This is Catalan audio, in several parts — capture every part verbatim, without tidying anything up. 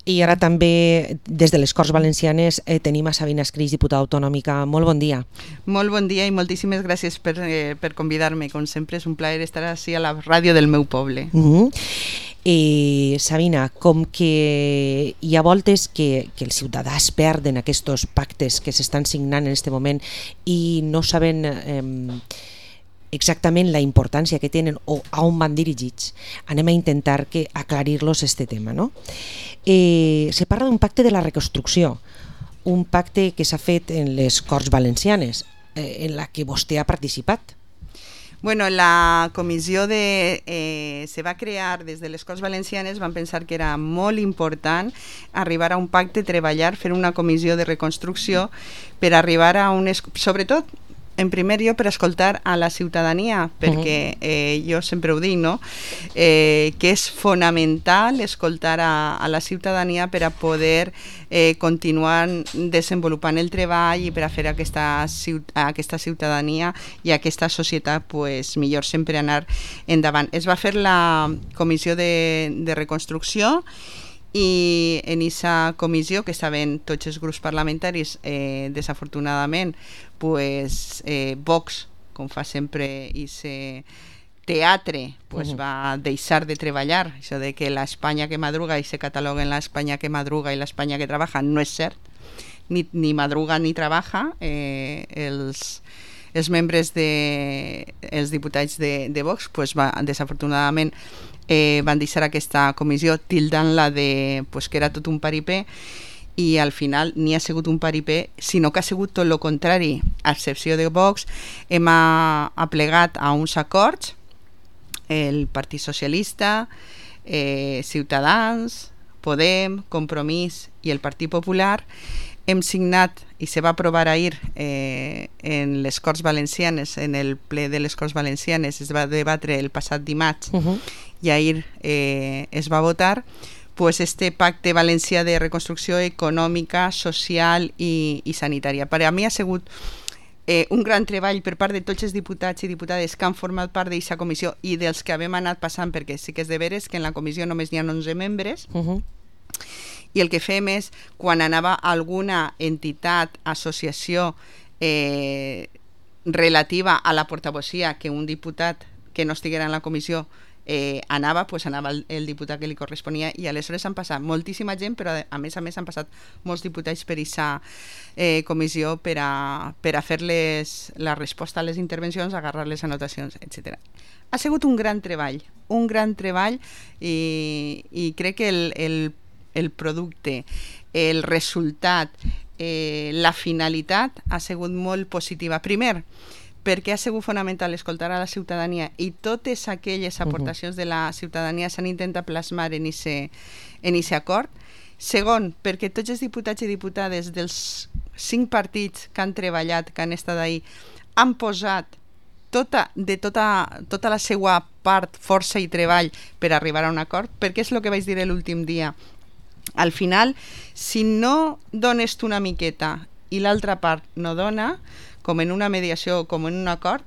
I ara també, des de les Corts Valencianes, eh, tenim a Sabina Escris, diputada autonòmica. Molt bon dia. Molt bon dia i moltíssimes gràcies per, eh, per convidar-me. Com sempre, és un plaer estar així a la ràdio del meu poble. Uh-huh. Eh, Sabina, com que hi ha voltes que, que els ciutadans perden aquests pactes que s'estan signant en aquest moment i no saben eh, exactament la importància que tenen o a on van dirigits, anem a intentar que aclarir-los este tema, no? Eh, se parla d'un pacte de la reconstrucció, un pacte que s'ha fet en les Corts Valencianes, eh, en la que vostè ha participat. Bueno, la comissió de, eh, se va crear des de les Corts Valencianes, van pensar que era molt important arribar a un pacte, treballar, fer una comissió de reconstrucció per arribar a un... Sobretot, en primer lloc, per escoltar a la ciutadania, perquè eh, jo sempre ho dic, no? Eh, que és fonamental escoltar a, a la ciutadania per a poder eh, continuar desenvolupant el treball i per a fer aquesta, aquesta ciutadania i aquesta societat pues, millor sempre anar endavant. Es va fer la comissió de, de reconstrucció i en aquesta comissió, que estaven tots els grups parlamentaris, eh, desafortunadament, pues, eh, Vox, com fa sempre ese teatre, pues, uh-huh. va deixar de treballar. Això de que l'Espanya que madruga i se cataloga en l'Espanya que madruga i l'Espanya que trabaja no és cert, ni, ni madruga ni trabaja. Eh, els, els membres de, els diputats de, de Vox, pues, va, desafortunadament, Eh, van deixar aquesta comissió tildant-la de pues, que era tot un paripé i al final ni ha sigut un paripé, sinó que ha sigut tot el contrari. A excepció de Vox, hem aplegat a uns acords el Partit Socialista, eh, Ciutadans, Podem, Compromís i el Partit Popular. Hem signat i se va aprovar ahir eh, en les Corts Valencianes, en el ple de les Corts Valencianes, es va debatre el passat dimarts, uh-huh. i ahir eh, es va votar pues, este pacte valencià de reconstrucció econòmica, social i, i sanitària. Per a mi ha sigut eh, un gran treball per part de tots els diputats i diputades que han format part d'aquesta comissió i dels que havem anat passant, perquè sí que és de veres que en la comissió només n'hi ha onze membres, uh-huh. i el que fem és, quan anava alguna entitat, associació eh, relativa a la portavocia que un diputat que no estiguera en la comissió eh, anava, pues anava el, el diputat que li corresponia, i aleshores han passat moltíssima gent, però a més a més han passat molts diputats per aquesta eh, comissió per a, per a fer-les la resposta a les intervencions, agarrar les anotacions, etcètera. Ha sigut un gran treball, un gran treball i, i crec que el, el el producte, el resultat, eh, la finalitat ha sigut molt positiva. Primer, perquè ha sigut fonamental escoltar a la ciutadania i totes aquelles aportacions uh-huh. de la ciutadania s'han intentat plasmar en aquest en acord. Segon, perquè tots els diputats i diputades dels cinc partits que han treballat, que han estat ahí, han posat tota, de tota, tota la seva part, força i treball per arribar a un acord, perquè és el que vaig dir l'últim dia. Al final, si no dones tu una miqueta i l'altra part no dona, com en una mediació o com en un acord,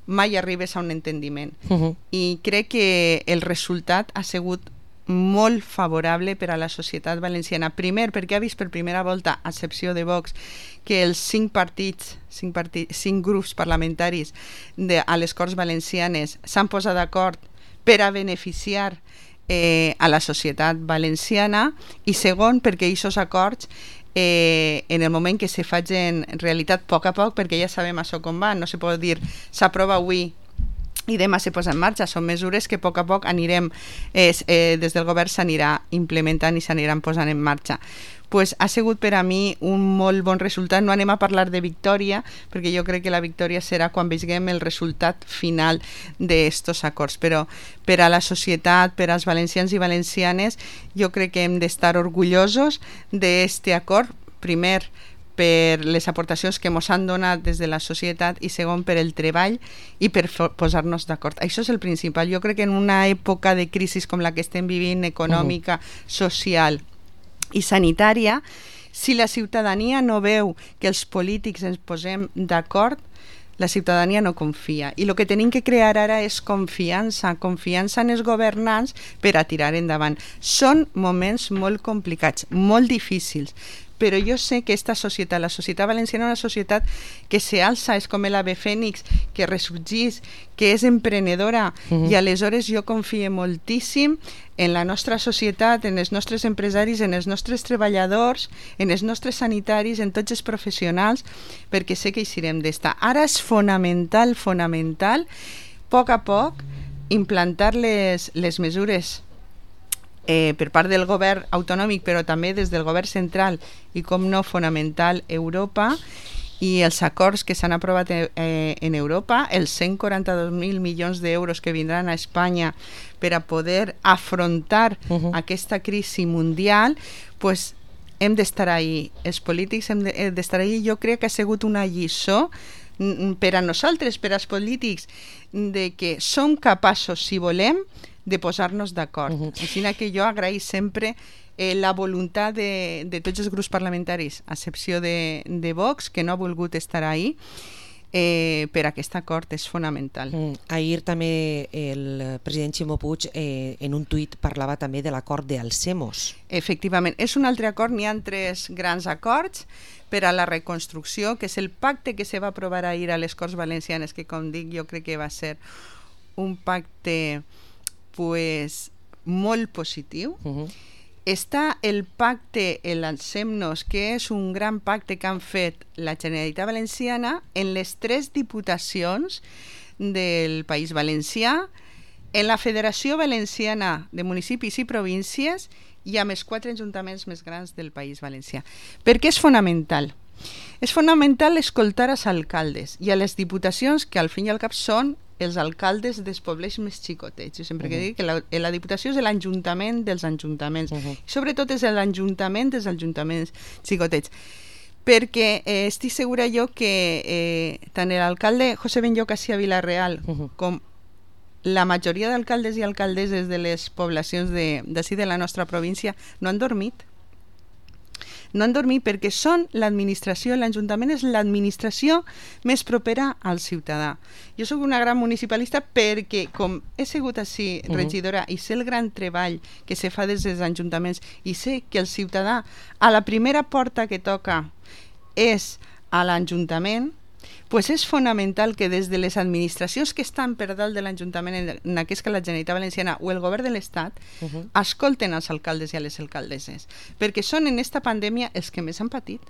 mai arribes a un entendiment. Uh-huh. I crec que el resultat ha sigut molt favorable per a la societat valenciana. Primer, perquè ha vist per primera volta, a excepció de Vox, que els cinc partits, cinc, partits, cinc grups parlamentaris de, a les Corts Valencianes s'han posat d'acord per a beneficiar Eh, a la societat valenciana, i segon perquè aquests acords eh, en el moment que se facin realitat a poc a poc, perquè ja sabem això com va, no se pot dir s'aprova avui i demà se posa en marxa, són mesures que a poc a poc anirem, eh, eh, des del govern s'anirà implementant i s'aniran posant en marxa. Pues ha sigut per a mi un molt bon resultat. No anem a parlar de victòria, perquè jo crec que la victòria serà quan veiem el resultat final d'estos acords, però per a la societat, per als valencians i valencianes, jo crec que hem d'estar orgullosos d'este acord, primer per les aportacions que ens han donat des de la societat i segon per el treball i per posar-nos d'acord. Això és el principal. Jo crec que en una època de crisi com la que estem vivint, econòmica, social i sanitària, si la ciutadania no veu que els polítics ens posem d'acord, la ciutadania no confia. I el que tenim que crear ara és confiança, confiança en els governants per a tirar endavant. Són moments molt complicats, molt difícils, però jo sé que esta societat, la societat valenciana, és una societat que se alça, és com l'ave fènix, que ressorgís, que és emprenedora, uh-huh. i aleshores jo confio moltíssim en la nostra societat, en els nostres empresaris, en els nostres treballadors, en els nostres sanitaris, en tots els professionals, perquè sé que hi serem d'esta. Ara és fonamental, fonamental, a poc a poc, implantar les, les mesures Eh, per part del govern autonòmic, però també des del govern central i, com no, fonamental, Europa, i els acords que s'han aprovat eh, en Europa, els cent quaranta-dos mil milions d'euros que vindran a Espanya per a poder afrontar uh-huh. aquesta crisi mundial, pues, hem d'estar ahí. Els polítics hem d'estar ahí. Jo crec que ha sigut una lliçó per a nosaltres, per als polítics, de que som capaços, si volem, de posar-nos d'acord. Uh-huh. Així que jo agraïs sempre eh, la voluntat de, de tots els grups parlamentaris, a excepció de, de Vox, que no ha volgut estar ahí, eh, per aquest acord és fonamental. Mm. Ahir també el president Ximo Puig eh, en un tuit parlava també de l'acord d'Alcemos. Efectivament, és un altre acord, n'hi ha tres grans acords per a la reconstrucció, que és el pacte que se va aprovar ahir a les Corts Valencianes, que, com dic, jo crec que va ser un pacte pues, molt positiu. Uh-huh. Està el pacte, el Lancem-nos, que és un gran pacte que han fet la Generalitat Valenciana en les tres diputacions del País Valencià, en la Federació Valenciana de Municipis i Províncies i amb els quatre ajuntaments més grans del País Valencià. Per què és fonamental? És fonamental escoltar als alcaldes i a les diputacions, que al fin i al cap són els alcaldes dels pobles més xicotets. Jo sempre uh-huh. que dic que la, la Diputació és l'Ajuntament dels ajuntaments. Uh-huh. I sobretot és l'Ajuntament dels ajuntaments xicotets. Perquè eh, estic segura jo que eh, tant l'alcalde José Benlloc ací a Vila-real uh-huh. com la majoria d'alcaldes i alcaldesses de les poblacions d'ací de, de la nostra província no han dormit. No han dormit perquè són l'administració, l'Ajuntament és l'administració més propera al ciutadà. Jo sóc una gran municipalista perquè, com he sigut així regidora uh-huh. i sé el gran treball que se fa des dels ajuntaments i sé que el ciutadà a la primera porta que toca és a l'Ajuntament, pues és fonamental que des de les administracions que estan per dalt de l'Ajuntament, en aquest cas la Generalitat Valenciana o el govern de l'Estat, uh-huh. escolten als alcaldes i a les alcaldesses, perquè són en esta pandèmia els que més han patit.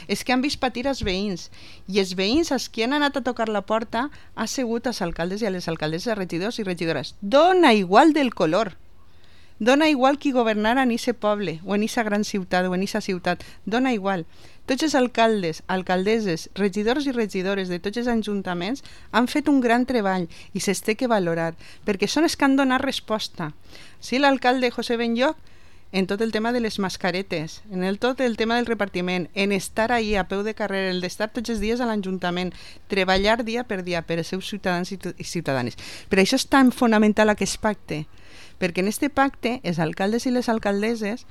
És que han vist patir els veïns, i els veïns als que han anat a tocar la porta ha sigut als alcaldes i a les alcaldesses, regidors i regidores. Dona igual del color. Dona igual qui governara en ese poble, o en esa gran ciutat, o en esa ciutat. Dona igual. Tots els alcaldes, alcaldesses, regidors i regidores de tots els ajuntaments han fet un gran treball i se'ls té que valorar, perquè són els que han donat resposta. Sí, l'alcalde José Benlloc, en tot el tema de les mascaretes, en el tot el tema del repartiment, en estar ahí a peu de carrer, el d'estar tots els dies a l'Ajuntament, treballar dia per dia per als seus ciutadans i ciutadanes. Per això és tan fonamental aquest pacte, perquè en aquest pacte els alcaldes i les alcaldesses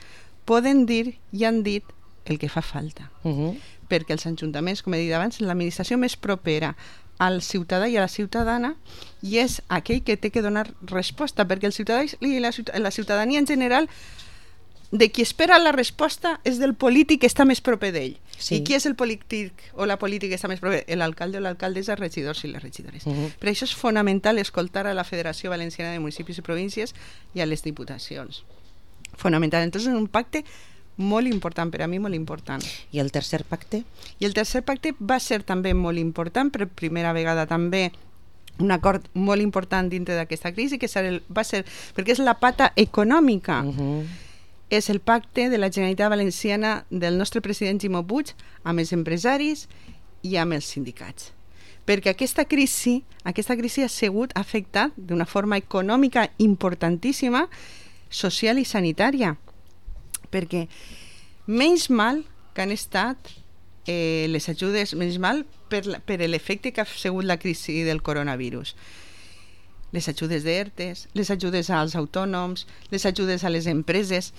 poden dir i han dit el que fa falta. Uh-huh. Perquè els ajuntaments, com he dit abans, l'administració més propera al ciutadà i a la ciutadana i és aquell que té que donar resposta, perquè el ciutadà i la, la ciutadania en general de qui espera la resposta és del polític que està més proper d'ell. Sí. I qui és el polític o la política que està més proper? L'alcalde o l'alcaldessa, els regidors i les regidores. Uh-huh. Per això és fonamental escoltar a la Federació Valenciana de Municipis i Províncies i a les diputacions. Fonamental. Entonces, un pacte molt important, per a mi molt important. I el tercer pacte? I el tercer pacte va ser també molt important, per primera vegada també un acord molt important dintre d'aquesta crisi, que va ser, perquè és la pata econòmica, uh-huh. és el pacte de la Generalitat Valenciana del nostre president Ximo Puig amb els empresaris i amb els sindicats. Perquè aquesta crisi, aquesta crisi ha sigut afectat d'una forma econòmica importantíssima, social i sanitària, perquè menys mal que han estat eh, les ajudes, menys mal per, la, per l'efecte que ha sigut la crisi del coronavirus. Les ajudes d'ERTES, les ajudes als autònoms, les ajudes a les empreses,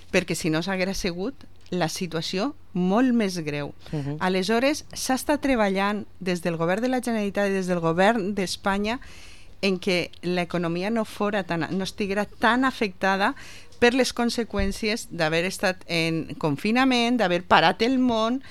perquè si no s'haguera sigut la situació molt més greu. Uh-huh. Aleshores, s'ha estat treballant des del govern de la Generalitat i des del govern d'Espanya en què l'economia no fora tan, no estiguera tan afectada per les conseqüències d'haver estat en confinament, d'haver parat el món,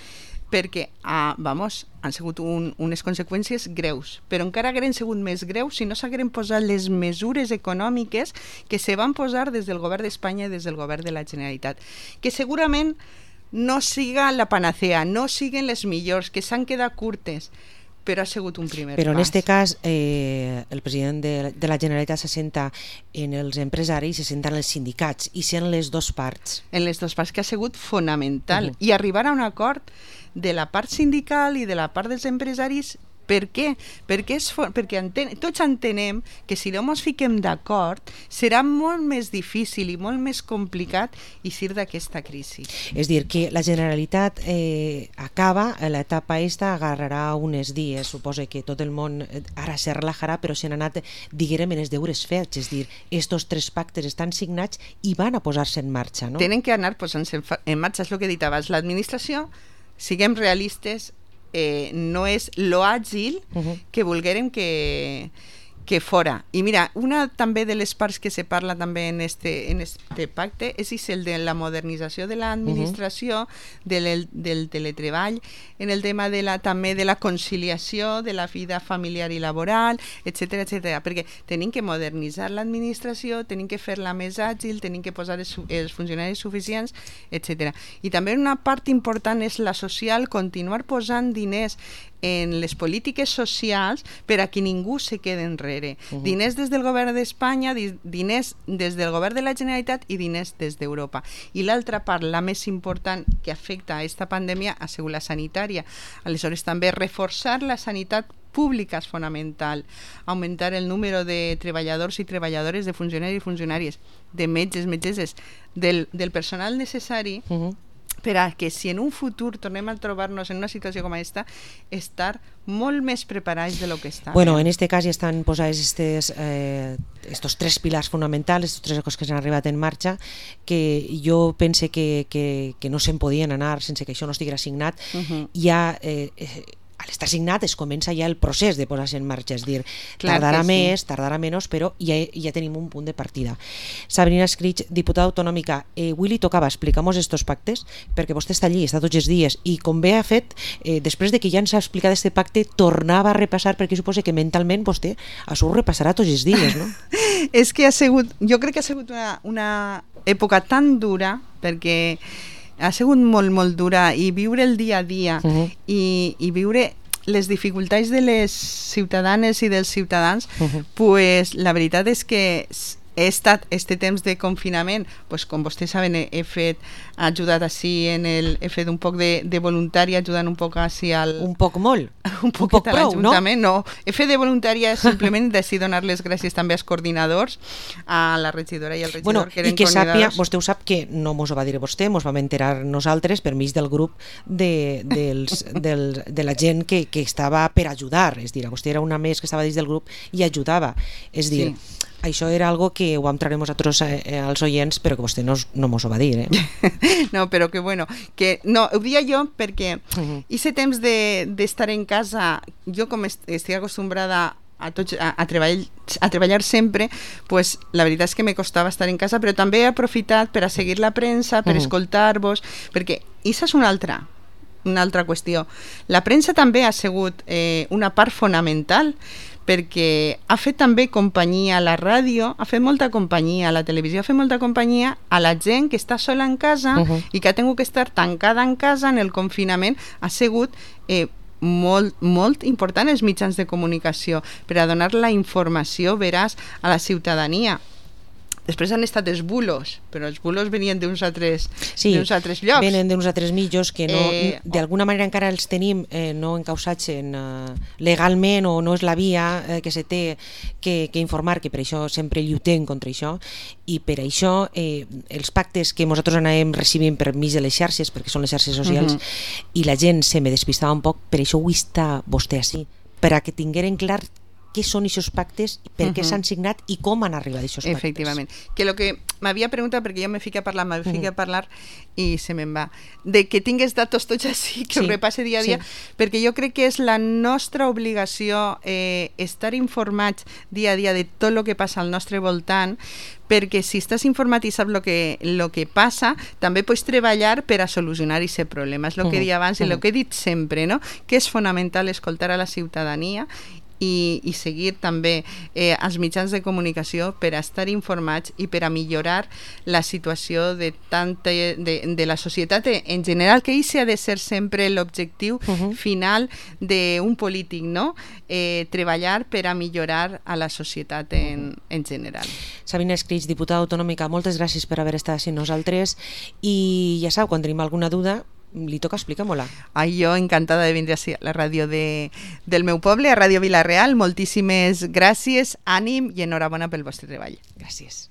perquè ah, vamos, han sigut un, unes conseqüències greus, però encara hagueren sigut més greus si no s'hagueren posat les mesures econòmiques que se van posar des del govern d'Espanya i des del govern de la Generalitat, que segurament no siga la panacea, no siguen les millors, que s'han quedat curtes, però ha sigut un primer però pas. En aquest cas eh, el president de, de la Generalitat se senta en els empresaris, se senta en els sindicats i sent les dues parts. En les dues parts, que ha sigut fonamental. Uh-huh. I arribar a un acord de la part sindical i de la part dels empresaris. Per què? Perquè, és for... perquè enten... tots entenem que si no ens fiquem d'acord serà molt més difícil i molt més complicat eixir d'aquesta crisi. És dir, que la Generalitat eh, acaba, l'etapa esta agarrarà uns dies, suposa que tot el món ara se relajarà, però s'han anat, diguérem, en els deures fets, és dir, estos tres pactes estan signats i van a posar-se en marxa, no? Tenen que anar posant-se en marxa, és el que he dit abans, l'administració, siguem realistes, Eh, no és lo àgil uh-huh. que volguérem que, que fora. I mira, una també de les parts que se parla també en este, en este pacte és el de la modernització de l'administració, uh-huh. del, del teletreball, en el tema de la, també de la conciliació de la vida familiar i laboral, etcètera, etcètera, perquè tenim que modernitzar l'administració, tenim que fer-la més àgil, tenim que posar els, els funcionaris suficients, etcètera. I també una part important és la social, continuar posant diners en les polítiques socials per a que ningú se quede enrere. Uh-huh. Diners des del govern d'Espanya, diners des del govern de la Generalitat i diners des d'Europa. I l'altra part, la més important que afecta a aquesta pandèmia, ha sigut la sanitària. Aleshores, també reforçar la sanitat pública és fonamental, augmentar el número de treballadors i treballadores, de funcionaris i funcionàries, de metges, metgesses, del, del personal necessari, uh-huh. per a que si en un futur tornem a trobar-nos en una situació com aquesta, estar molt més preparats de lo que està. Bueno, en este cas ja estan posats estes, eh, estos tres pilars fonamentals, estos tres coses que s'han arribat en marxa, que jo pense que, que, que no se'n podien anar sense que això no estiguera signat. Uh-huh. Ja... Eh, eh, al estar signat es comença ja el procés de posar-se en marxa, és dir, Clar tardarà més, sí. tardarà menys, però ja, ja tenim un punt de partida. Sabrina Escrig, diputada autonòmica, eh, avui li tocava explicar-nos estos pactes, perquè vostè està allí, està tots els dies, i com bé ha fet, eh, després de que ja ens ha explicat este pacte, tornava a repassar, perquè suposa que mentalment vostè això ho repassarà tots els dies, no? És que ha sigut, jo crec que ha sigut una, una època tan dura, perquè ha sigut molt, molt dura, i viure el dia a dia uh-huh. i, i viure les dificultats de les ciutadanes i dels ciutadans, uh-huh. pues la veritat és que he estat este temps de confinament, pues com vostès saben, he, he fet, he ajudat així en el, he fet un poc de, de voluntària, ajudant un poc així al... Un poc molt? un poc, un poc prou, no? No, he fet de voluntària simplement d'així donar les gràcies també als coordinadors, a la regidora i al regidor, bueno, que eren i que sàpia, coordinadors. Vostè ho sap que no mos ho va dir vostè, mos vam enterar nosaltres per mig del grup de, dels, del, de la gent que, que estava per ajudar, és dir, vostè era una més que estava dins del grup i ajudava, és dir... Sí. Això era algo que ho vam traure nosaltres eh, als oients, però que vostè no, no mos ho va dir, eh? No, però que bueno, que no, ho dia jo perquè uh-huh. ese temps de, d'estar en casa, jo com est- estic acostumbrada a, tots, a, a, treballar, a treballar sempre, pues la veritat és que me costava estar en casa, però també he aprofitat per a seguir la premsa, per uh-huh. escoltar-vos, perquè això és una altra, una altra qüestió. La premsa també ha sigut eh, una part fonamental, perquè ha fet també companyia a la ràdio, ha fet molta companyia a la televisió, ha fet molta companyia a la gent que està sola en casa uh-huh. i que ha tingut que estar tancada en casa en el confinament. Ha sigut eh, molt, molt important els mitjans de comunicació per a donar la informació veraç a la ciutadania. Després han estat els bulos, però els bulos venien d'uns altres, sí, d'uns altres llocs. Venen d'uns altres mitjos que no, eh, d'alguna manera encara els tenim eh, no encausats en, uh, legalment, o no és la via eh, que se té que, que informar, que per això sempre lluitem contra això, i per això eh, els pactes que nosaltres anàvem recibint per mig de les xarxes, perquè són les xarxes socials, uh-huh. i la gent se me despistava un poc, per això avui està vostè així, per a que tingueren clar què són aquests pactes, per què uh -huh. s'han signat i com han arribat a aquests pactes. Efectivament. Que lo que m'havia preguntat, perquè jo me fico a parlar, me fico uh -huh. a parlar i se me'n va, de que tingués datos tots així, que sí. ho repasse dia a dia, sí. perquè jo crec que és la nostra obligació eh, estar informats dia a dia de tot el que passa al nostre voltant, perquè si estàs informat i saps el que, lo que passa, també pots treballar per a solucionar aquest problema. És el que uh -huh. deia abans i el que he dit sempre, no? Que és fonamental escoltar a la ciutadania i, i seguir també eh, els mitjans de comunicació per a estar informats i per a millorar la situació de, tanta, de, de la societat en general, que això ha de ser sempre l'objectiu uh-huh. final d'un polític, no? Eh, treballar per a millorar a la societat en, en general. Sabina Escrig, diputada autonòmica, moltes gràcies per haver estat amb nosaltres i ja sabeu, quan tenim alguna duda li toca explicar-me-la. Ai, jo encantada de vindre a la ràdio de, del meu poble, a Ràdio Vila-real. Moltíssimes gràcies, ànim i enhorabona pel vostre treball. Gràcies.